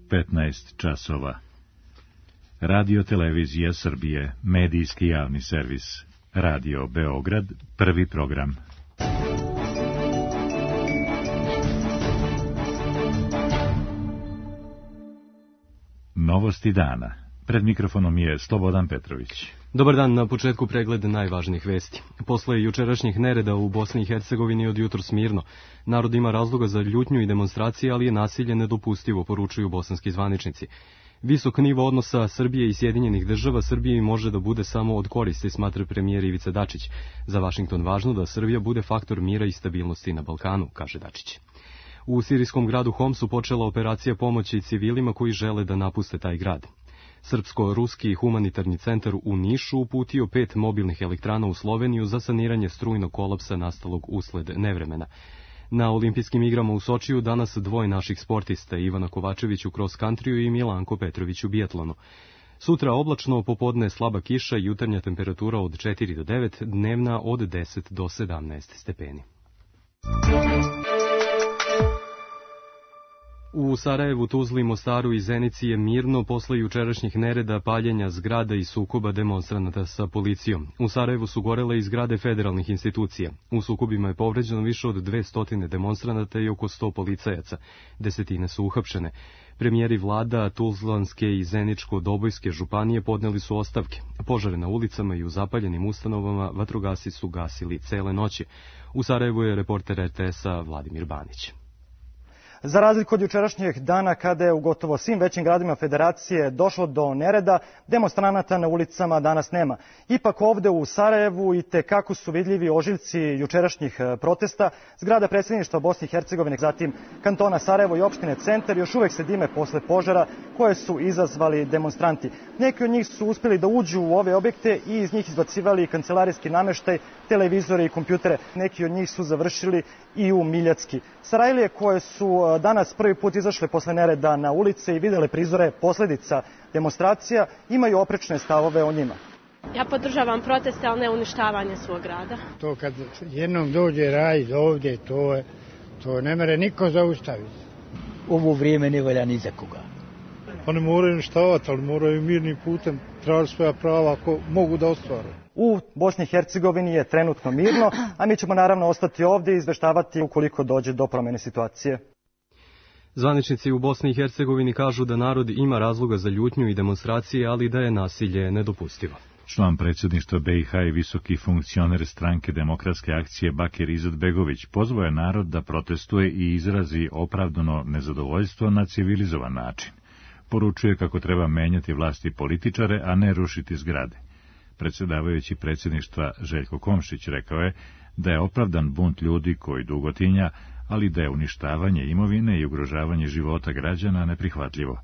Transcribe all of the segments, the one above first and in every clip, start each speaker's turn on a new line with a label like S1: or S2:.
S1: 15 časova. Radio Televizija Srbije, medijski javni servis. Radio Beograd, prvi program. Novosti dana. Pred mikrofonom je Slobodan Petrović.
S2: Dobar dan, na početku pregled najvažnijih vesti. Posle jučerašnjih nereda u Bosni i Hercegovini od jutros mirno. Narod ima razloga za ljutnju i demonstracije, ali je nasilje nedopustivo, poručuju bosanski zvaničnici. Visok nivo odnosa Srbije i Sjedinjenih država Srbiji može da bude samo od koristi, smatra premijer Ivica Dačić. Za Vašington važno da Srbija bude faktor mira i stabilnosti na Balkanu, kaže Dačić. U sirijskom gradu Homsu počela operacija pomoći civilima koji žele da napuste taj grad. Srpsko-ruski humanitarni centar u Nišu uputio 5 mobilnih elektrana u Sloveniju za saniranje strujnog kolapsa nastalog usled nevremena. Na olimpijskim igrama u Sočiju danas dvoje naših sportista, Ivana Kovačević u cross-countryju i Milanko Petrović u biatlonu. Sutra oblačno, popodne slaba kiša, jutarnja temperatura od 4 do 9, dnevna od 10 do 17 stepeni. U Sarajevu, Tuzli, Mostaru i Zenici je mirno posle jučerašnjih nereda, paljenja zgrada i sukoba demonstranata sa policijom. U Sarajevu su gorele i zgrade federalnih institucija. U sukobima je povređeno više od 200 demonstranata i oko 100 policajaca. Desetine su uhapšene. Premijeri vlada Tuzlanske i Zeničko-Dobojske županije podneli su ostavke. Požare na ulicama i u zapaljenim ustanovama vatrogasci su gasili cele noći. U Sarajevu je reporter RTS-a Vladimir Banić.
S3: Za razliku od jučerašnjeg dana, kada je u gotovo svim većim gradovima Federacije došlo do nereda, demonstranata na ulicama danas nema. Ipak ovde u Sarajevu i tekako su vidljivi ožiljci jučerašnjih protesta. Zgrada predsjedništva Bosne i Hercegovine, zatim kantona Sarajevo i opštine Centar još uvek se dime posle požara koje su izazvali demonstranti. Neki od njih su uspjeli da uđu u ove objekte i iz njih izbacivali kancelarijski nameštaj, televizore i kompjutere. Neki od njih su završili i u Miljacki. Sarajlije koje su danas prvi put izašle posle nereda na ulice i videle prizore posledica demonstracija, imaju oprečne stavove o njima.
S4: Ja podržavam proteste, ali ne uništavanje svog grada.
S5: To kad jednom dođe raj ovdje, to ne mere niko zaustaviti.
S6: Ovo vrijeme ne valja ni za koga.
S7: Oni moraju uništavati, ali moraju mirnim putem tražiti svoja prava ako mogu da ostvare.
S3: U Bosni i Hercegovini je trenutno mirno, a mi ćemo naravno ostati ovdje i izveštavati ukoliko dođe do promjene situacije.
S2: Zvaničnici u Bosni i Hercegovini kažu da narod ima razloga za ljutnju i demonstracije, ali da je nasilje nedopustivo.
S1: Član predsjedništva BiH i visoki funkcioner stranke Demokratske akcije Bakir Izetbegović pozvao je narod da protestuje i izrazi opravdano nezadovoljstvo na civilizovan način. Poručuje kako treba menjati vlasti političare, a ne rušiti zgrade. Predsjedavajući predsjedništva Željko Komšić rekao je da je opravdan bunt ljudi koji dugo tinja, ali da je uništavanje imovine i ugrožavanje života građana neprihvatljivo.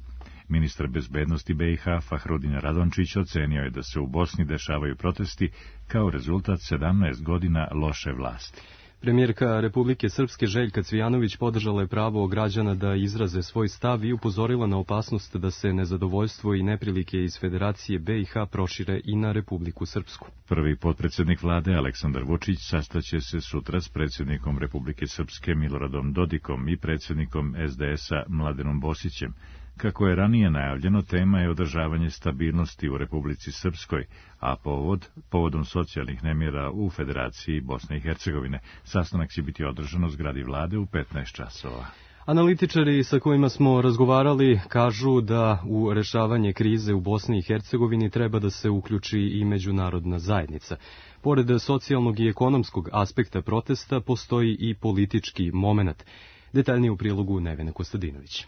S1: Ministar bezbednosti BiH Fahrudin Radončić ocenio je da se u Bosni dešavaju protesti kao rezultat 17 godina loše vlasti.
S2: Premijerka Republike Srpske Željka Cvijanović podržala je pravo građana da izraze svoj stav i upozorila na opasnost da se nezadovoljstvo i neprilike iz Federacije BiH prošire i na Republiku Srpsku.
S1: Prvi potpredsjednik vlade Aleksandar Vučić sastaće se sutra s predsjednikom Republike Srpske Miloradom Dodikom i predsjednikom SDS-a Mladenom Bosićem. Kako je ranije najavljeno, tema je održavanje stabilnosti u Republici Srpskoj, a povodom socijalnih nemira u Federaciji Bosne i Hercegovine. Sastanak će biti održan u zgradi vlade u 15 časova.
S2: Analitičari sa kojima smo razgovarali kažu da u rešavanje krize u Bosni i Hercegovini treba da se uključi i međunarodna zajednica. Pored socijalnog i ekonomskog aspekta protesta postoji i politički momenat. Detaljnije u prilogu Nevena Kostadinović.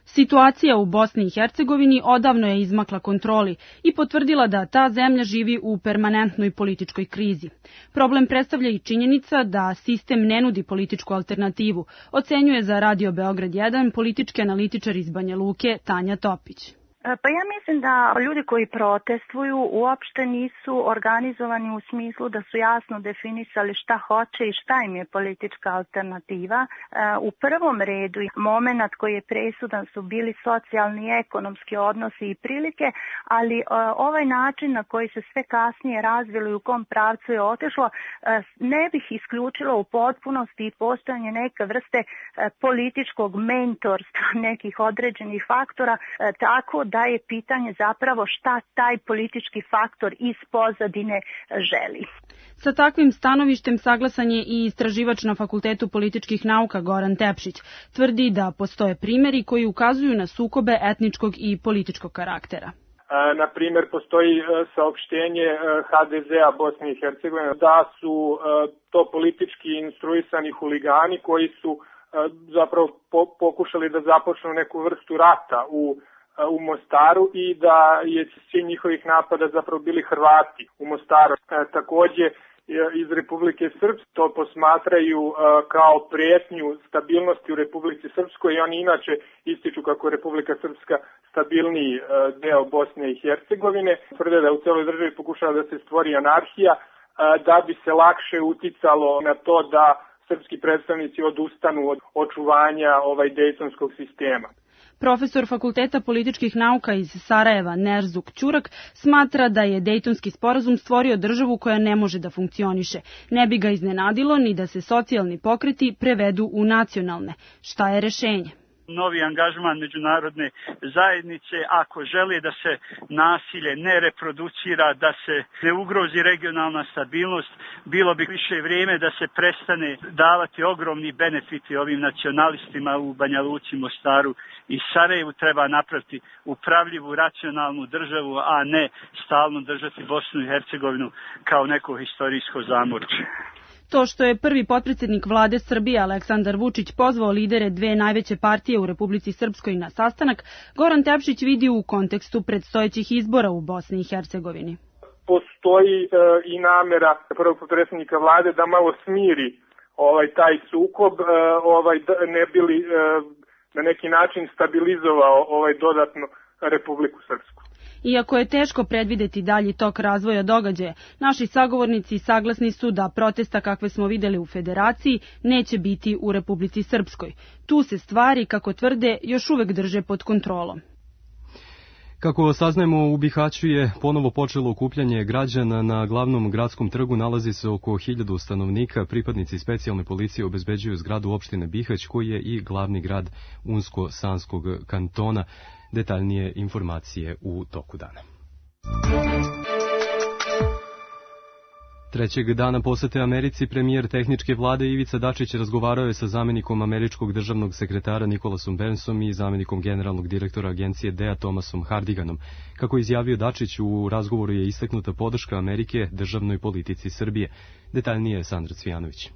S8: Situacija u Bosni i Hercegovini odavno je izmakla kontroli i potvrdila da ta zemlja živi u permanentnoj političkoj krizi. Problem predstavlja i činjenica da sistem ne nudi političku alternativu, ocenjuje za Radio Beograd 1 politički analitičar iz Banja Luke Tanja Topić.
S9: Pa ja mislim da ljudi koji protestuju uopšte nisu organizovani u smislu da su jasno definisali šta hoće i šta im je politička alternativa. U prvom redu moment koji je presudan su bili socijalni i ekonomski odnosi i prilike, ali ovaj način na koji se sve kasnije razvilo i u kom pravcu je otišlo, ne bih isključila u potpunosti i postojanje neke vrste političkog mentorstva nekih određenih faktora, tako da je pitanje zapravo šta taj politički faktor iz pozadine želi.
S8: Sa takvim stanovištem saglasan je i istraživač na Fakultetu političkih nauka Goran Tepšić. Tvrdi da postoje primjeri koji ukazuju na sukobe etničkog i političkog karaktera.
S10: Na primjer, postoji saopštenje HDZ-a Bosne i Hercegovine da su to politički instruisani huligani koji su zapravo pokušali da započnu neku vrstu rata u Mostaru i da je cilj njihovih napada zapravo bili Hrvati u Mostaru. Takođe, iz Republike Srpske to posmatraju kao prijetnju stabilnosti u Republici Srpskoj i oni inače ističu kako je Republika Srpska stabilniji deo Bosne i Hercegovine. Tvrde da u celoj državi pokušava da se stvori anarhija da bi se lakše uticalo na to da srpski predstavnici odustanu od očuvanja dejtonskog sistema.
S8: Profesor Fakulteta političkih nauka iz Sarajeva Nerzuk Ćurak smatra da je Dejtonski sporazum stvorio državu koja ne može da funkcioniše. Ne bi ga iznenadilo ni da se socijalni pokreti prevedu u nacionalne. Šta je rešenje?
S11: Novi angažman međunarodne zajednice, ako želi da se nasilje ne reproducira, da se ne ugrozi regionalna stabilnost, bilo bi više vrijeme da se prestane davati ogromni benefiti ovim nacionalistima u Banja Luci, Mostaru i Sarajevu. Treba napraviti upravljivu, racionalnu državu, a ne stalno držati Bosnu i Hercegovinu kao neko historijsko zamorče.
S8: To što je prvi potpredsjednik vlade Srbije Aleksandar Vučić pozvao lidere dve najveće partije u Republici Srpskoj na sastanak, Goran Tepšić vidi u kontekstu predstojećih izbora u Bosni i Hercegovini.
S10: Postoji i namera prvog potpredsjednika vlade da malo smiri taj sukob, ne bi li na neki način stabilizovao dodatno Republiku Srpsku.
S8: Iako je teško predvideti dalji tok razvoja događaja, naši sagovornici saglasni su da protesta kakve smo videli u Federaciji neće biti u Republici Srpskoj. Tu se stvari, kako tvrde, još uvek drže pod kontrolom.
S2: Kako saznajemo, u Bihaću je ponovo počelo okupljanje građana. Na glavnom gradskom trgu nalazi se oko 1000 stanovnika. Pripadnici specijalne policije obezbeđuju zgradu opštine Bihać, koji je i glavni grad Unsko-Sanskog kantona. Detaljnije informacije u toku dana. Trećeg dana posete Americi premijer tehničke vlade Ivica Dačić razgovarao je sa zamenikom američkog državnog sekretara Nikolasom Bernsom i zamenikom generalnog direktora agencije DEA Thomasom Hardiganom. Kako je izjavio Dačić, u razgovoru je istaknuta podrška Amerike državnoj politici Srbije. Detaljnije je Sandra Cvijanović.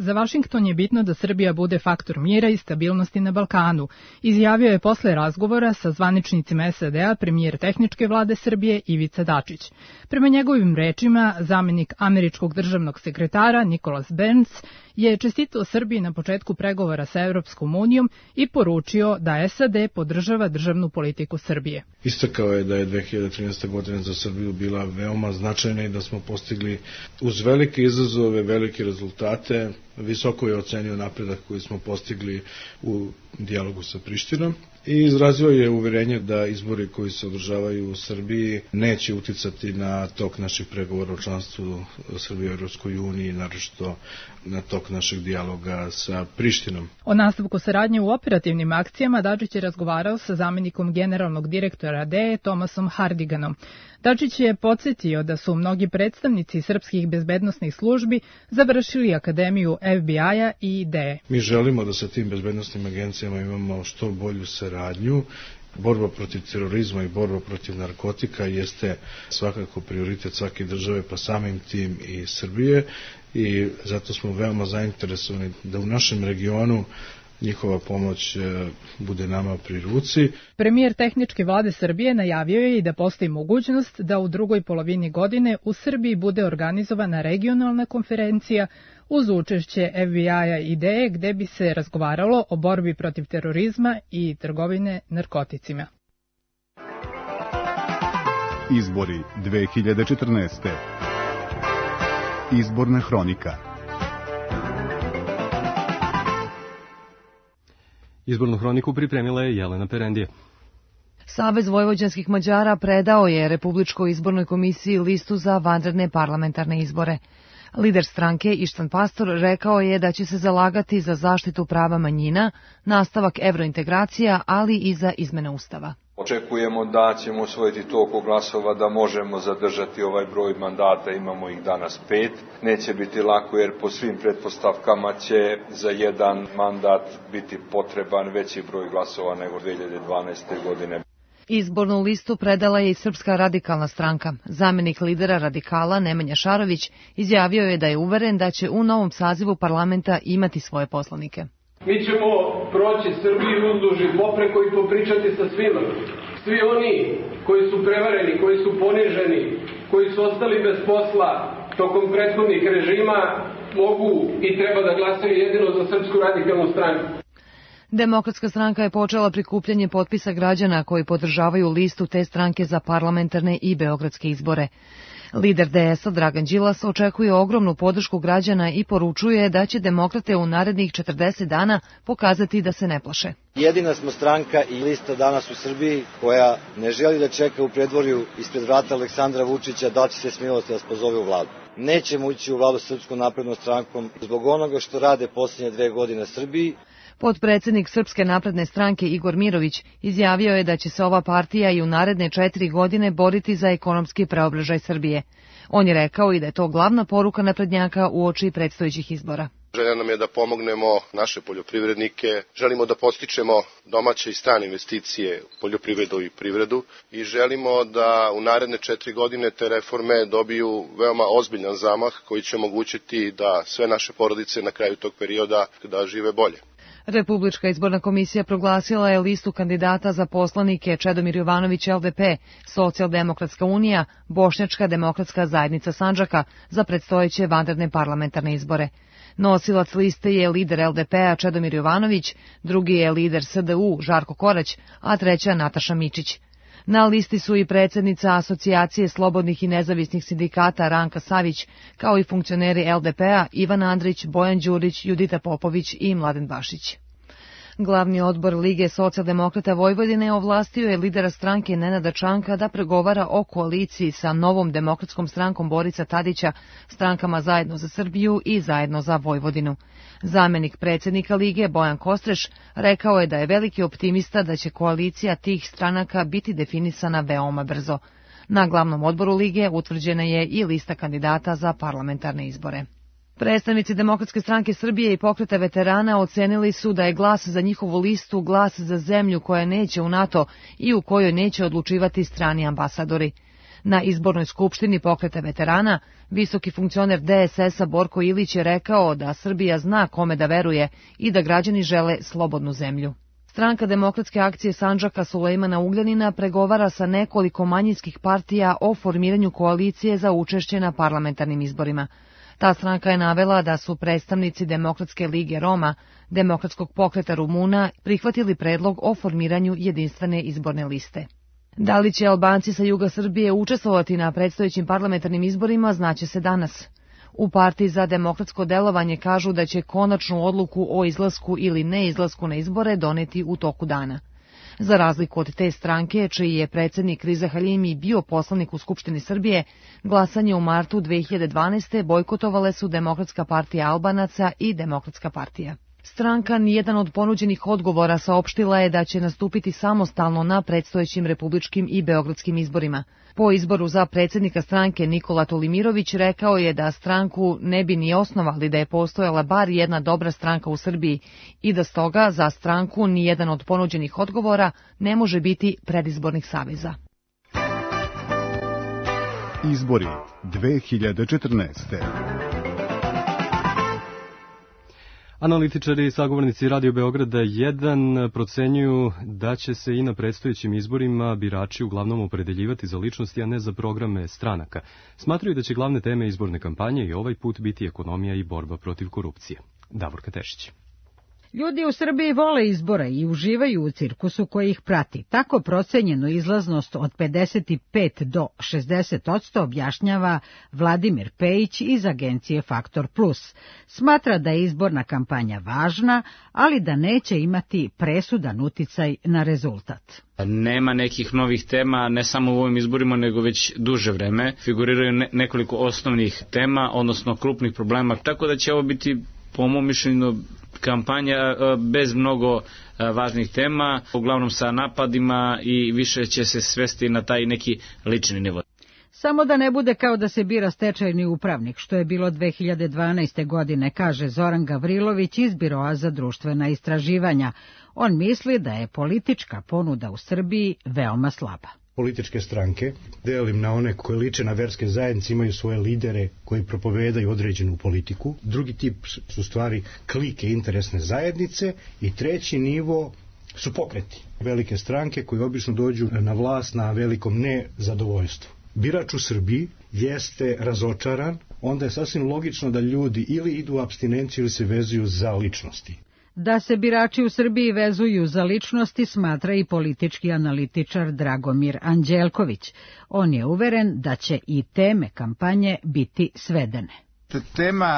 S12: Za Vašington je bitno da Srbija bude faktor mira i stabilnosti na Balkanu, izjavio je posle razgovora sa zvaničnicima SAD-a premijer tehničke vlade Srbije Ivica Dačić. Prema njegovim rečima, zamenik američkog državnog sekretara Nikolas Berns je čestitao Srbiji na početku pregovora sa Evropskom unijom i poručio da SAD podržava državnu politiku Srbije.
S13: Istakao je da je 2013. godina za Srbiju bila veoma značajna i da smo postigli uz velike izazove, velike rezultate. Visoko je ocenio napredak koji smo postigli u dijalogu sa Prištinom i izrazio je uverenje da izbori koji se održavaju u Srbiji neće uticati na tok naših pregovora o članstvu Srbije u Evropskoj uniji, naročito na tok našeg dijaloga sa Prištinom.
S12: O nastavku saradnje u operativnim akcijama Dačić je razgovarao sa zamenikom generalnog direktora DEA Thomasom Hardiganom. Dačić je podsjetio da su mnogi predstavnici srpskih bezbednosnih službi završili akademiju FBI-a i DEA.
S13: Mi želimo da sa tim bezbednosnim agencijama imamo što bolju saradnju. Borba protiv terorizma i borba protiv narkotika jeste svakako prioritet svake države, pa samim tim i Srbije, i zato smo veoma zainteresovani da u našem regionu njihova pomoć bude nama pri ruci.
S12: Premijer tehničke vlade Srbije najavio je i da postoji mogućnost da u drugoj polovini godine u Srbiji bude organizovana regionalna konferencija uz učešće FBI-a i DEA, gde bi se razgovaralo o borbi protiv terorizma i trgovine narkoticima.
S14: Izbori 2014. Izborna hronika.
S2: Izbornu hroniku pripremila je Jelena Perendije.
S15: Savez vojvođanskih Mađara predao je Republičkoj izbornoj komisiji listu za vanredne parlamentarne izbore. Lider stranke Ištvan Pastor rekao je da će se zalagati za zaštitu prava manjina, nastavak evrointegracija, ali i za izmene Ustava.
S16: Očekujemo da ćemo osvojiti toliko glasova da možemo zadržati ovaj broj mandata, imamo ih danas 5. Neće biti lako jer po svim pretpostavkama će za jedan mandat biti potreban veći broj glasova nego 2012. godine.
S15: Izbornu listu predala je i Srpska radikalna stranka. Zamenik lidera radikala Nemanja Šarović izjavio je da je uveren da će u novom sazivu parlamenta imati svoje poslanike.
S17: Mi ćemo proći Srbiju uzduž i popreko i popričati sa svima. Svi oni koji su prevareni, koji su poniženi, koji su ostali bez posla tokom prethodnih režima, mogu i treba da glasaju jedino za Srpsku radikalnu stranku.
S15: Demokratska stranka je počela prikupljanje potpisa građana koji podržavaju listu te stranke za parlamentarne i beogradske izbore. Lider DS-a Dragan Đilas očekuje ogromnu podršku građana i poručuje da će demokrate u narednih 40 dana pokazati da se ne plaše.
S18: Jedina smo stranka i lista danas u Srbiji koja ne želi da čeka u predvorju ispred vrata Aleksandra Vučića da će se smilovati da spozove u vladu. Nećemo ući u vladu Srpskom naprednom strankom zbog onoga što rade posljednje 2 godine Srbiji.
S15: Potpredsednik Srpske napredne stranke Igor Mirović izjavio je da će se ova partija i u naredne 4 godine boriti za ekonomski preobražaj Srbije. On je rekao i da je to glavna poruka naprednjaka uoči predstojećih izbora.
S19: Želja nam je da pomognemo naše poljoprivrednike, želimo da podstičemo domaće i strane investicije u poljoprivredu i privredu i želimo da u naredne 4 godine te reforme dobiju veoma ozbiljan zamah koji će omogućiti da sve naše porodice na kraju tog perioda da žive bolje.
S15: Republička izborna komisija proglasila je listu kandidata za poslanike Čedomir Jovanović LDP, Socijaldemokratska unija, Bošnjačka demokratska zajednica Sandžaka za predstojeće vanredne parlamentarne izbore. Nosilac liste je lider LDP-a Čedomir Jovanović, drugi je lider SDU Žarko Korać, a treća Nataša Mičić. Na listi su i predsjednica Asocijacije slobodnih i nezavisnih sindikata Ranka Savić, kao i funkcioneri LDP-a Ivan Andrić, Bojan Đurić, Judita Popović i Mladen Bašić. Glavni odbor Lige socijaldemokrata Vojvodine ovlastio je lidera stranke Nenada Čanka da pregovara o koaliciji sa Novom demokratskom strankom Borisa Tadića, strankama Zajedno za Srbiju i Zajedno za Vojvodinu. Zamenik predsjednika Lige Bojan Kostreš rekao je da je veliki optimista da će koalicija tih stranaka biti definisana veoma brzo. Na glavnom odboru Lige utvrđena je i lista kandidata za parlamentarne izbore. Predstavnici Demokratske stranke Srbije i Pokreta veterana ocenili su da je glas za njihovu listu glas za zemlju koja neće u NATO i u kojoj neće odlučivati strani ambasadori. Na izbornoj skupštini Pokreta veterana visoki funkcioner DSS-a Borko Ilić je rekao da Srbija zna kome da veruje i da građani žele slobodnu zemlju. Stranka Demokratske akcije Sandžaka Sulejmana Ugljanina pregovara sa nekoliko manjinskih partija o formiranju koalicije za učešće na parlamentarnim izborima. Ta stranka je navela da su predstavnici Demokratske lige Roma, Demokratskog pokreta Rumuna prihvatili predlog o formiranju jedinstvene izborne liste. Da li će Albanci sa juga Srbije učestvovati na predstojećim parlamentarnim izborima, znaće se danas. U Partiji za demokratsko delovanje kažu da će konačnu odluku o izlasku ili neizlasku na izbore doneti u toku dana. Za razliku od te stranke, čiji je predsjednik Riza Halimi bio poslanik u Skupštini Srbije, glasanje u martu 2012. bojkotovale su Demokratska partija Albanaca i Demokratska partija. Stranka nijedan od ponuđenih odgovora saopštila je da će nastupiti samostalno na predstojećim republičkim i beogradskim izborima. Po izboru za predsjednika stranke Nikola Tolimirović rekao je da stranku ne bi ni osnovali da je postojala bar jedna dobra stranka u Srbiji i da stoga za stranku nijedan od ponuđenih odgovora ne može biti predizbornih saveza.
S14: Izbori 2014.
S2: Analitičari i sagovornici Radio Beograda 1 procenjuju da će se i na predstojećim izborima birači uglavnom opredeljivati za ličnosti, a ne za programe stranaka. Smatraju da će glavne teme izborne kampanje i ovaj put biti ekonomija i borba protiv korupcije. Davorka Tešić.
S20: Ljudi u Srbiji vole izbora i uživaju u cirkusu koji ih prati. Tako procenjenu izlaznost od 55 do 60% objašnjava Vladimir Pejić iz agencije Faktor Plus. Smatra da je izborna kampanja važna, ali da neće imati presudan uticaj na rezultat.
S21: Nema nekih novih tema, ne samo u ovim izborima, nego već duže vreme. Figuriraju nekoliko osnovnih tema, odnosno krupnih problema, tako da će ovo biti, po mom mišljenju, kampanja bez mnogo važnih tema, uglavnom sa napadima i više će se svesti na taj neki lični nivo.
S20: Samo da ne bude kao da se bira stečajni upravnik, što je bilo 2012. godine, kaže Zoran Gavrilović iz Biroa za društvena istraživanja. On misli da je politička ponuda u Srbiji veoma slaba.
S22: Političke stranke, delim na one koje liče na verske zajednice, imaju svoje lidere koji propovedaju određenu politiku. Drugi tip su stvari klike interesne zajednice i treći nivo su pokreti. Velike stranke koji obično dođu na vlast na velikom nezadovoljstvu. Birač u Srbiji jeste razočaran, onda je sasvim logično da ljudi ili idu u apstinenciju ili se vezuju za ličnosti.
S20: Da se birači u Srbiji vezuju za ličnosti smatra i politički analitičar Dragomir Anđelković. On je uveren da će i teme kampanje biti svedene.
S23: Tema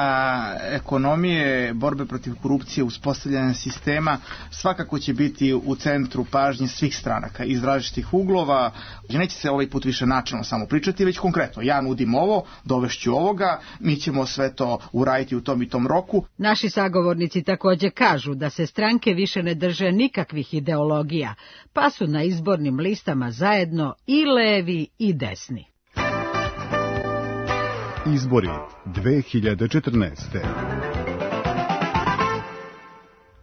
S23: ekonomije, borbe protiv korupcije, uspostavljanja sistema svakako će biti u centru pažnje svih stranaka iz različitih uglova. Neće se ovaj put više načelno samo pričati, već konkretno. Ja nudim ovo, dovešću ovoga, mi ćemo sve to uraditi u tom i tom roku.
S20: Naši sagovornici takođe kažu da se stranke više ne drže nikakvih ideologija, pa su na izbornim listama zajedno i levi i desni.
S14: Izbori 2014.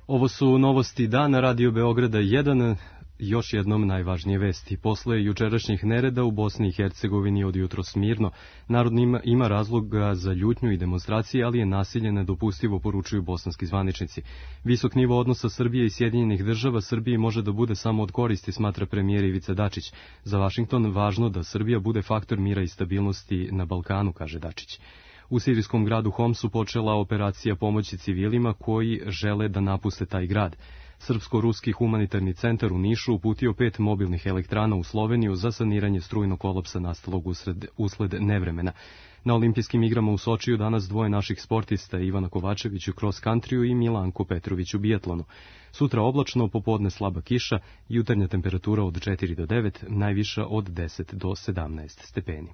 S2: Ovo su novosti dana Radio Beograda 1. Još jednom najvažnije vesti. Posle jučerašnjih nereda u Bosni i Hercegovini od jutros mirno, narod ima razloga za ljutnju i demonstracije, ali je nasilje nedopustivo, poručuju bosanski zvaničnici. Visok nivo odnosa Srbije i Sjedinjenih država Srbiji može da bude samo od koristi, smatra premijer Ivica Dačić. Za Vašington važno da Srbija bude faktor mira i stabilnosti na Balkanu, kaže Dačić. U sirijskom gradu Homsu počela operacija pomoći civilima koji žele da napuste taj grad. Srpsko-ruski humanitarni centar u Nišu uputio 5 mobilnih elektrana u Sloveniju za saniranje strujnog kolapsa nastalog usled nevremena. Na olimpijskim igrama u Sočiju danas dvoje naših sportista, Ivana Kovačević u cross countryju i Milanko Petrović u biatlonu. Sutra oblačno, popodne slaba kiša, jutarnja temperatura od 4 do 9, najviša od 10 do 17 stepeni.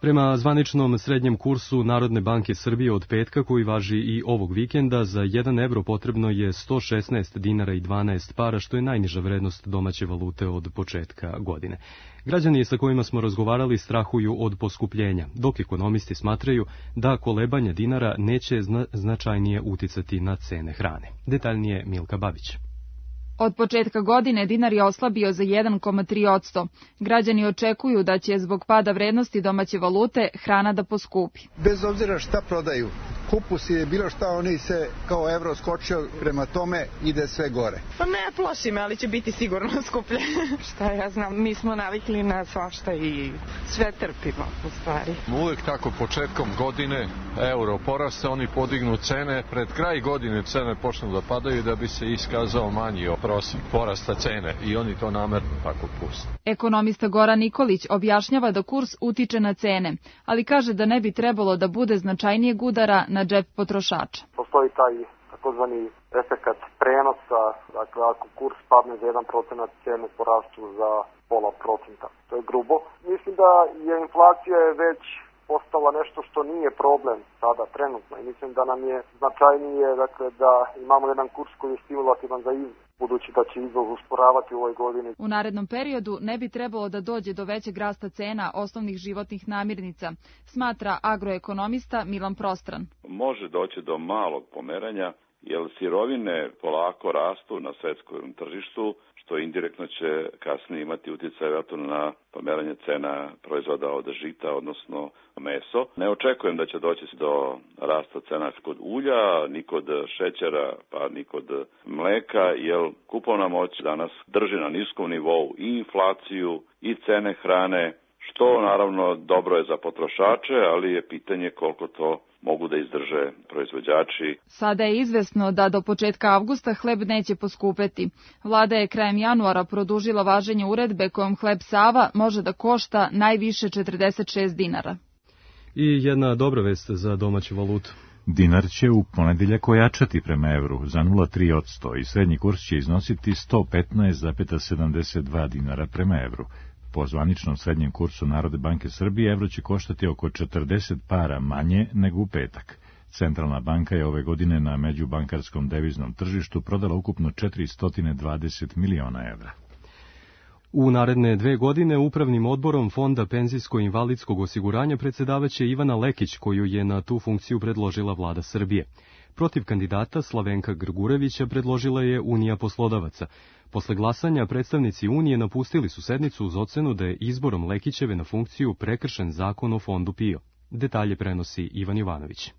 S2: Prema zvaničnom srednjem kursu Narodne banke Srbije od petka, koji važi i ovog vikenda, za 1 evro potrebno je 116 dinara i 12 para, što je najniža vrednost domaće valute od početka godine. Građani sa kojima smo razgovarali strahuju od poskupljenja, dok ekonomisti smatraju da kolebanja dinara neće značajnije uticati na cene hrane. Detaljnije Milka Babić.
S24: Od početka godine dinar je oslabio za 1,3%. Građani očekuju da će zbog pada vrednosti domaće valute hrana da poskupi.
S25: Bez obzira šta prodaju, kupus je bilo šta, oni se kao evro skočio, prema tome ide sve gore.
S26: Pa ne plaši me, ali će biti sigurno skuplje. Šta ja znam, mi smo navikli na svašta i sve trpimo u stvari.
S27: Uvijek tako početkom godine euro poraste, oni podignu cene, pred kraj godine cene počnu da padaju da bi se iskazao manji prosjek porasta cene i oni to namerno tako puste.
S24: Ekonomista Goran Nikolić objašnjava da kurs utiče na cene, ali kaže da ne bi trebalo da bude značajnijeg udara na džep potrošača.
S28: Postoji taj takozvani efekat prenosa, dakle ako kurs padne za 1%, cene porastu za 0,5%. To je grubo. Mislim da je inflacija već postala nešto što nije problem sada trenutno i mislim da nam je značajnije dakle, da imamo jedan kurs koji je stimulativan za izvoz, budući da će izvoz usporavati u ovoj godini.
S24: U narednom periodu ne bi trebalo da dođe do većeg rasta cena osnovnih životnih namirnica, smatra agroekonomista Milan Prostran.
S29: Može doći do malog pomeranja, jer sirovine polako rastu na svetskom tržištu, što indirektno će kasnije imati utjecaj na pomeranje cena proizvoda od žita, odnosno meso. Ne očekujem da će doći do rasta cena kod ulja, ni kod šećera, pa ni kod mleka, jer kupovna moć danas drži na niskom nivou i inflaciju i cene hrane, što naravno dobro je za potrošače, ali je pitanje koliko to mogu da izdrže proizvođači.
S24: Sada je izvesno da do početka avgusta hleb neće poskupeti. Vlada je krajem januara produžila važenje uredbe kojom hleb Sava može da košta najviše 46 dinara.
S2: I jedna dobra vest za domaću valutu.
S1: Dinar će u ponedeljak ojačati prema evru za 0,3% i srednji kurs će iznositi 115,72 dinara prema evru. Po zvaničnom srednjem kursu Narodne banke Srbije evro će koštati oko 40 para manje nego u petak. Centralna banka je ove godine na međubankarskom deviznom tržištu prodala ukupno 420 miliona evra.
S2: U naredne 2 godine upravnim odborom Fonda penzijsko-invalidskog osiguranja predsedavaće Ivana Lekić, koju je na tu funkciju predložila vlada Srbije. Protiv kandidata Slavenka Grgurevića predložila je Unija poslodavaca. Posle glasanja predstavnici Unije napustili su sednicu uz ocenu da je izborom Lekićeve na funkciju prekršen zakon o Fondu PIO. Detalje prenosi Ivan Jovanović.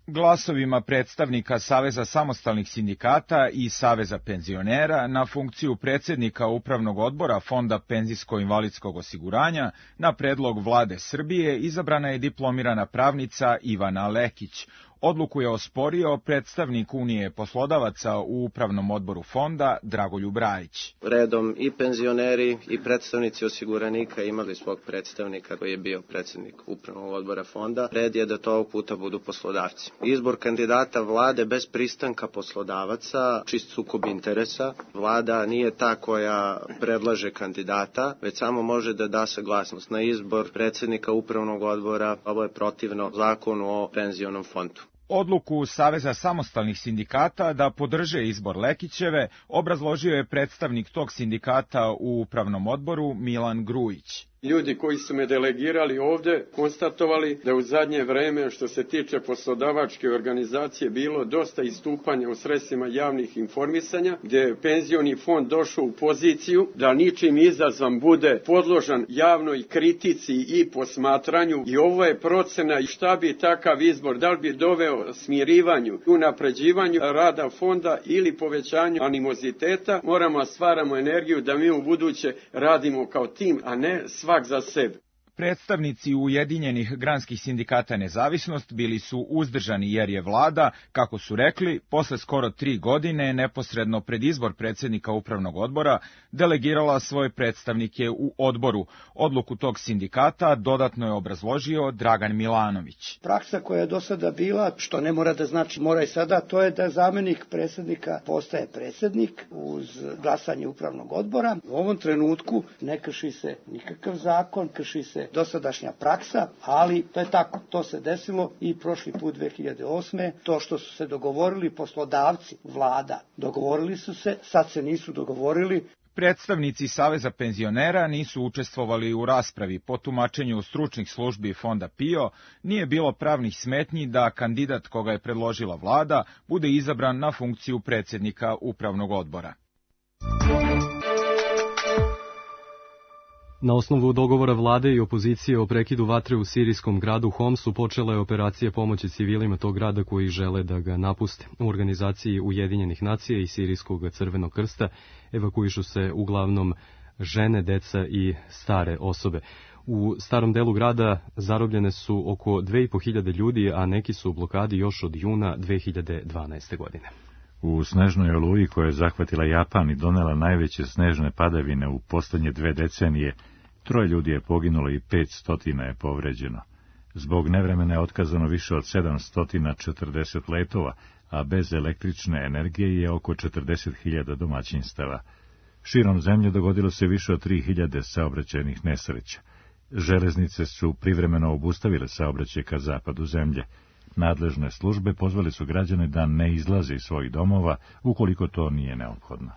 S3: Glasovima predstavnika Saveza samostalnih sindikata i Saveza penzionera na funkciju predsjednika Upravnog odbora Fonda penzijsko-invalidskog osiguranja na predlog vlade Srbije izabrana je diplomirana pravnica Ivana Lekić. Odluku je osporio predstavnik Unije poslodavaca u Upravnom odboru fonda Dragoljub Rajić.
S4: Redom i penzioneri i predstavnici osiguranika imali svog predstavnika koji je bio predsjednik Upravnog odbora fonda. Red je da to ovog puta budu poslodavci. Izbor kandidata vlade bez pristanka poslodavaca, čist sukob interesa. Vlada nije ta koja predlaže kandidata, već samo može da da saglasnost na izbor predsjednika Upravnog odbora. Ovo je protivno zakonu o penzionom fondu.
S3: Odluku Saveza samostalnih sindikata da podrže izbor Lekićeve obrazložio je predstavnik tog sindikata u Upravnom odboru Milan Grujić.
S5: Ljudi koji su me delegirali ovde konstatovali da u zadnje vreme što se tiče poslodavačke organizacije bilo dosta istupanja u sredstvima javnih informisanja, gdje je penzioni fond došao u poziciju da ničim izazvan bude podložan javnoj kritici i posmatranju i ovo je procena i šta bi takav izbor, da li bi doveo smirivanju, unapređivanju rada fonda ili povećanju animoziteta. Moramo stvaramo energiju da mi u buduće radimo kao tim, a ne svak za sebe.
S3: Predstavnici Ujedinjenih granskih sindikata Nezavisnost bili su uzdržani jer je vlada, kako su rekli, posle skoro 3 godine neposredno pred izbor predsjednika Upravnog odbora delegirala svoje predstavnike u odboru. Odluku tog sindikata dodatno je obrazložio Dragan Milanović.
S6: Praksa koja je do sada bila, što ne mora da znači mora i sada, to je da zamjenik predsjednika postaje predsjednik uz glasanje Upravnog odbora. U ovom trenutku ne krši se nikakav zakon, krši se dosadašnja praksa, ali to je tako. To se desilo i prošli put 2008. To što su se dogovorili poslodavci, vlada, dogovorili su se, sad se nisu dogovorili.
S3: Predstavnici Saveza penzionera nisu učestvovali u raspravi. Po tumačenju stručnih službi Fonda PIO nije bilo pravnih smetnji da kandidat koga je predložila vlada bude izabran na funkciju predsjednika Upravnog odbora.
S2: Na osnovu dogovora vlade i opozicije o prekidu vatre u sirijskom gradu Homsu počela je operacija pomoći civilima tog grada koji žele da ga napuste. U organizaciji Ujedinjenih nacija i Sirijskog crvenog krsta evakuišu se uglavnom žene, deca i stare osobe. U starom delu grada zarobljene su oko 2500 ljudi, a neki su u blokadi još od juna 2012. godine.
S1: U snežnoj oluji koja je zahvatila Japan i donela najveće snežne padavine u poslednje 2 decenije, 3 ljudi je poginulo i 500 je povređeno. Zbog nevremena je otkazano više od 740 letova, a bez električne energije je oko 40.000 domaćinstava. Širom zemlje dogodilo se više od 3000 saobraćajnih nesreća. Železnice su privremeno obustavile saobraćaj ka zapadu zemlje. Nadležne službe pozvali su građane da ne izlaze iz svojih domova ukoliko to nije neophodno.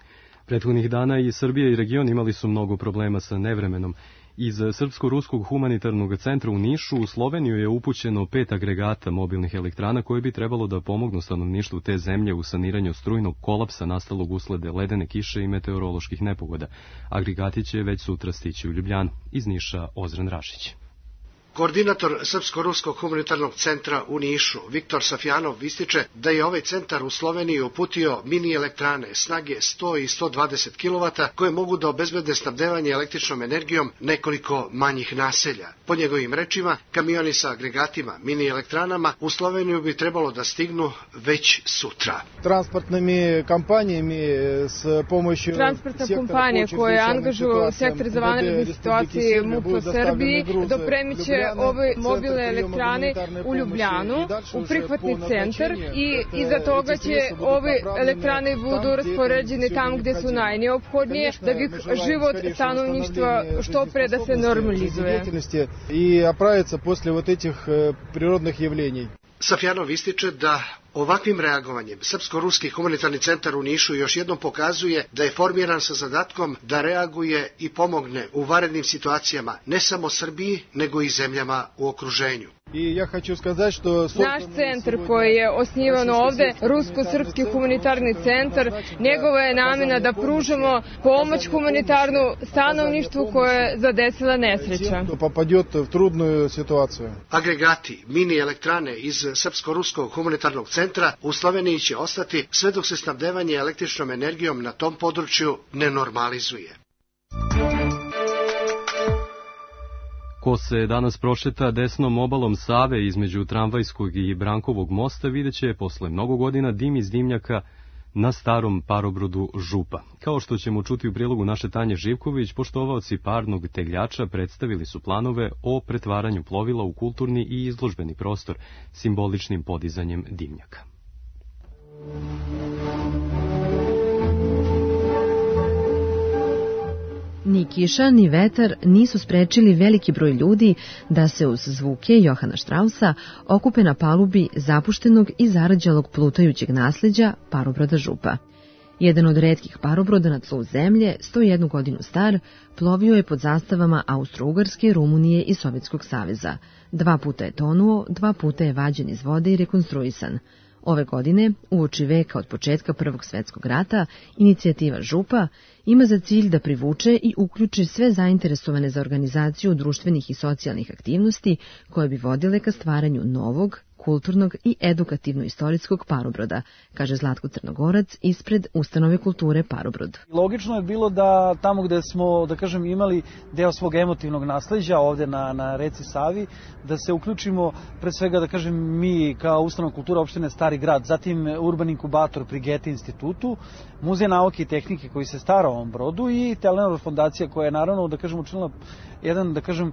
S2: Prethodnih dana i Srbija i region imali su mnogo problema sa nevremenom. Iz Srpsko-ruskog humanitarnog centra u Nišu u Sloveniju je upućeno 5 agregata mobilnih elektrana koje bi trebalo da pomognu stanovništvu te zemlje u saniranju strujnog kolapsa nastalog usled ledene kiše i meteoroloških nepogoda. Agregati će već sutra stići u Ljubljanu. Iz Niša Ozren Rašić.
S7: Koordinator Srpsko-ruskog humanitarnog centra u Nišu, Viktor Safjanov, ističe da je ovaj centar u Sloveniji uputio mini elektrane snage 100 i 120 kW koje mogu da obezbede snabdevanje električnom energijom nekoliko manjih naselja. Po njegovim rečima, kamioni sa agregatima mini elektranama u Sloveniju bi trebalo da stignu već sutra.
S8: Transportna kompanija koje angažuju sektor za vanredne situacije MUP u Srbiji dopremiće ove mobilne elektrane u Ljubljanu, u prihvatni centar i iza toga će ove elektrane budu raspoređene tamo gde su najneophodnije da bi život stanovništva što pre da se normalizuje. I оправиться после вот этих природных явлений.
S7: Safjanov ističe da ovakvim reagovanjem Srpsko-ruski humanitarni centar u Nišu još jednom pokazuje da je formiran sa zadatkom da reaguje i pomogne u vanrednim situacijama ne samo Srbiji, nego i zemljama u okruženju.
S8: Naš
S24: centar koji je osnivan ovde, Rusko-srpski humanitarni centar, njegova je namena da pružamo pomoć humanitarnu stanovništvu koje je zadesila nesreća.
S7: Agregati, mini elektrane iz Srpsko-ruskog humanitarnog centra u Sloveniji će ostati sve dok se snabdevanje električnom energijom na tom području ne normalizuje.
S2: Ko se danas prošeta desnom obalom Save između Tramvajskog i Brankovog mosta vidjet će posle mnogo godina dim iz dimnjaka na starom parobrodu Župa. Kao što ćemo čuti u prilogu naše Tanje Živković, poštovaoci parnog tegljača predstavili su planove o pretvaranju plovila u kulturni i izložbeni prostor simboličnim podizanjem dimnjaka.
S9: Ni kiša, ni vetar nisu sprečili veliki broj ljudi da se uz zvuke Johana Štrausa okupe na palubi zapuštenog i zarađalog plutajućeg nasleđa parobroda Župa. Jedan od retkih parobroda na tlu zemlje, 101 godinu star, plovio je pod zastavama Austro-Ugarske, Rumunije i Sovjetskog saveza. 2 puta je tonuo, 2 puta je vađen iz vode i rekonstruisan. Ove godine, uoči veka od početka Prvog svjetskog rata, inicijativa Župa ima za cilj da privuče i uključi sve zainteresovane za organizaciju društvenih i socijalnih aktivnosti koje bi vodile ka stvaranju novog, kulturnog i edukativno-istorijskog parobroda, kaže Zlatko Crnogorac ispred Ustanove kulture Parobrod.
S8: Logično je bilo da tamo gde smo, da kažem, imali deo svog emotivnog nasleđa ovde na reci Savi, da se uključimo pre svega, da kažem, mi kao Ustanova kultura opštine Stari grad, zatim Urban inkubator pri Goethe institutu, Muzej nauke i tehnike koji se stara o ovom brodu i Telenor fondacija koja je naravno, da kažem, učinila jedan, da kažem,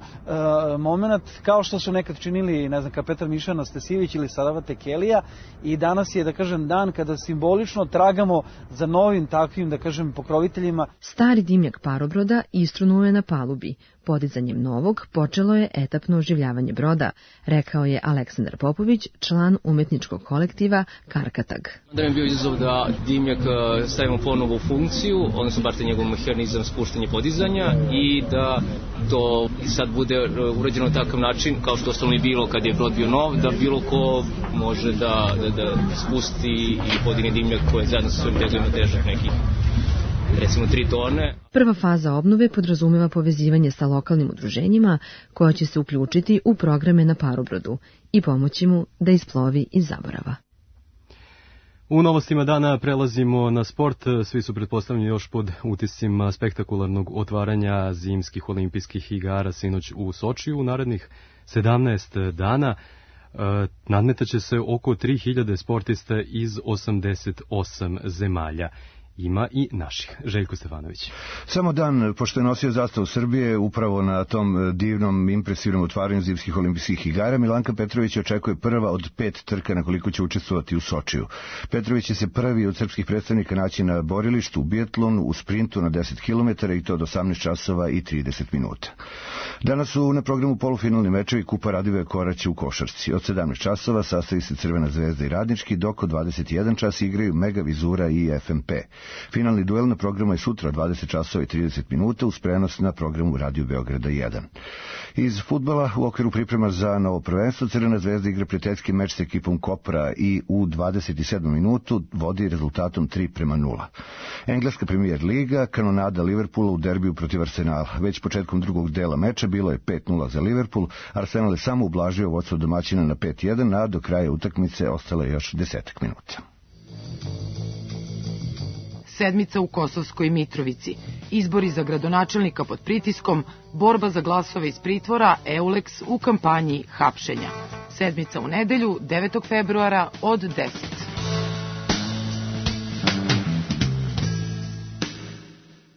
S8: moment kao što su nekad činili, ne znam, Petar Miša Anastasijević ili Sarava Tekelija, i danas je, da kažem, dan kada simbolično tragamo za novim takvim, da kažem, pokroviteljima.
S9: Stari dimnjak parobroda istrunuo je na palubi. Podizanjem novog počelo je etapno oživljavanje broda, rekao je Aleksandar Popović, član umetničkog kolektiva Karkatag.
S10: Da mi je bio izazov da dimnjak stavimo ponovo u funkciju, odnosno bar te njegov mehanizam spuštanja i podizanja, i da to sad bude urađeno na takav način, kao što ostalo je bilo kad je brod bio nov, da bilo ko može da spusti i podigne dimnjak koje zajedno sa svojim tegovima težak nekih, recimo 3 tone.
S9: Prva faza obnove podrazumeva povezivanje sa lokalnim udruženjima koja će se uključiti u programe na parobrodu i pomoći mu da isplovi iz zaborava.
S2: U novostima dana prelazimo na sport. Svi su pretpostavljeni još pod utiscima spektakularnog otvaranja zimskih olimpijskih igara sinoć u Sočiju. U narednih 17 dana nadmetaće se oko 3000 sportista iz 88 zemalja. Ima i naših. Željko Stefanović.
S11: Samo dan pošto je nosio zastavu Srbije upravo na tom divnom, impresivnom otvaranju zimskih olimpijskih igara, Milanka Petrović očekuje prva od 5 trka na koliko će učestvovati u Sočiju. Petrović će se prvi od srpskih predstavnika naći na borilištu u biatlonu, u sprintu na 10 km i to od 18 časova i 30 minuta. Danas su na programu polufinalni mečevi Kupa Radivoja Koraća u košarci. Od 17 časova sastavi se Crvena zvezda i Radnički, dok od 21 čas igraju Mega Vizura i FMP. Finalni duel na programu je sutra 20 časova i 30 minuta uz prenos na programu Radio Beograda 1. Iz fudbala u okviru priprema za novo prvenstvo Crvena zvezda igra prijateljski meč sa ekipom Kopra i u 27. minutu vodi rezultatom 3:0. Engleska Premier Liga, kanonada Liverpoola u derbiju protiv Arsenala. Već početkom drugog dela meča bilo je 5:0 za Liverpool, Arsenal je samo ublažio vodstvo domaćina na 5:1, a do kraja utakmice ostalo je još 10 minuta.
S12: Sedmica u Kosovskoj Mitrovici, izbori za gradonačelnika pod pritiskom, borba za glasove iz pritvora, Eulex u kampanji hapšenja. Sedmica u nedelju, 9. februara od 10.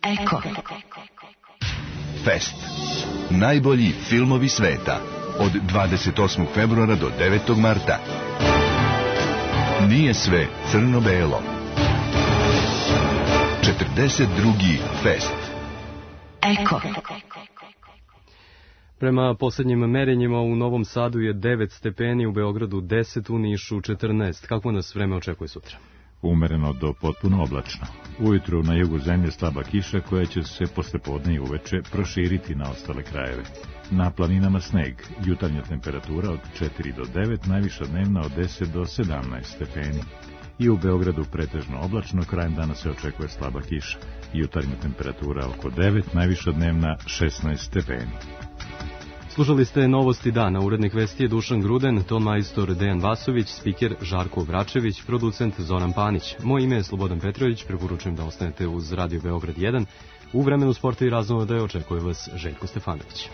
S13: Eko. Fest. Najbolji filmovi sveta. Od 28. februara do 9. marta. Nije sve crno-belo. 42. fest. Eko.
S2: Prema posljednjim merenjima u Novom Sadu je 9 stepeni, u Beogradu 10, u Nišu 14. Kako nas vreme očekuje sutra?
S1: Umereno do potpuno oblačno. Ujutru na jugu zemlje slaba kiša koja će se posle podne i uveče proširiti na ostale krajeve. Na planinama sneg, jutarnja temperatura od 4 do 9, najviša dnevna od 10 do 17 stepeni. I u Beogradu pretežno oblačno, krajem dana se očekuje slaba kiša. Jutarnja temperatura oko 9, najviša dnevna 16 stepeni.
S2: Slušali ste Novosti dana, urednik vesti je Dušan Gruden, ton majstor Dejan Vasović, spiker Žarko Vračević, producent Zoran Panić. Moje ime je Slobodan Petrović, preporučujem da ostanete uz Radio Beograd 1. U vremenu sporta i raznoda očekuje vas Željko Stefanović.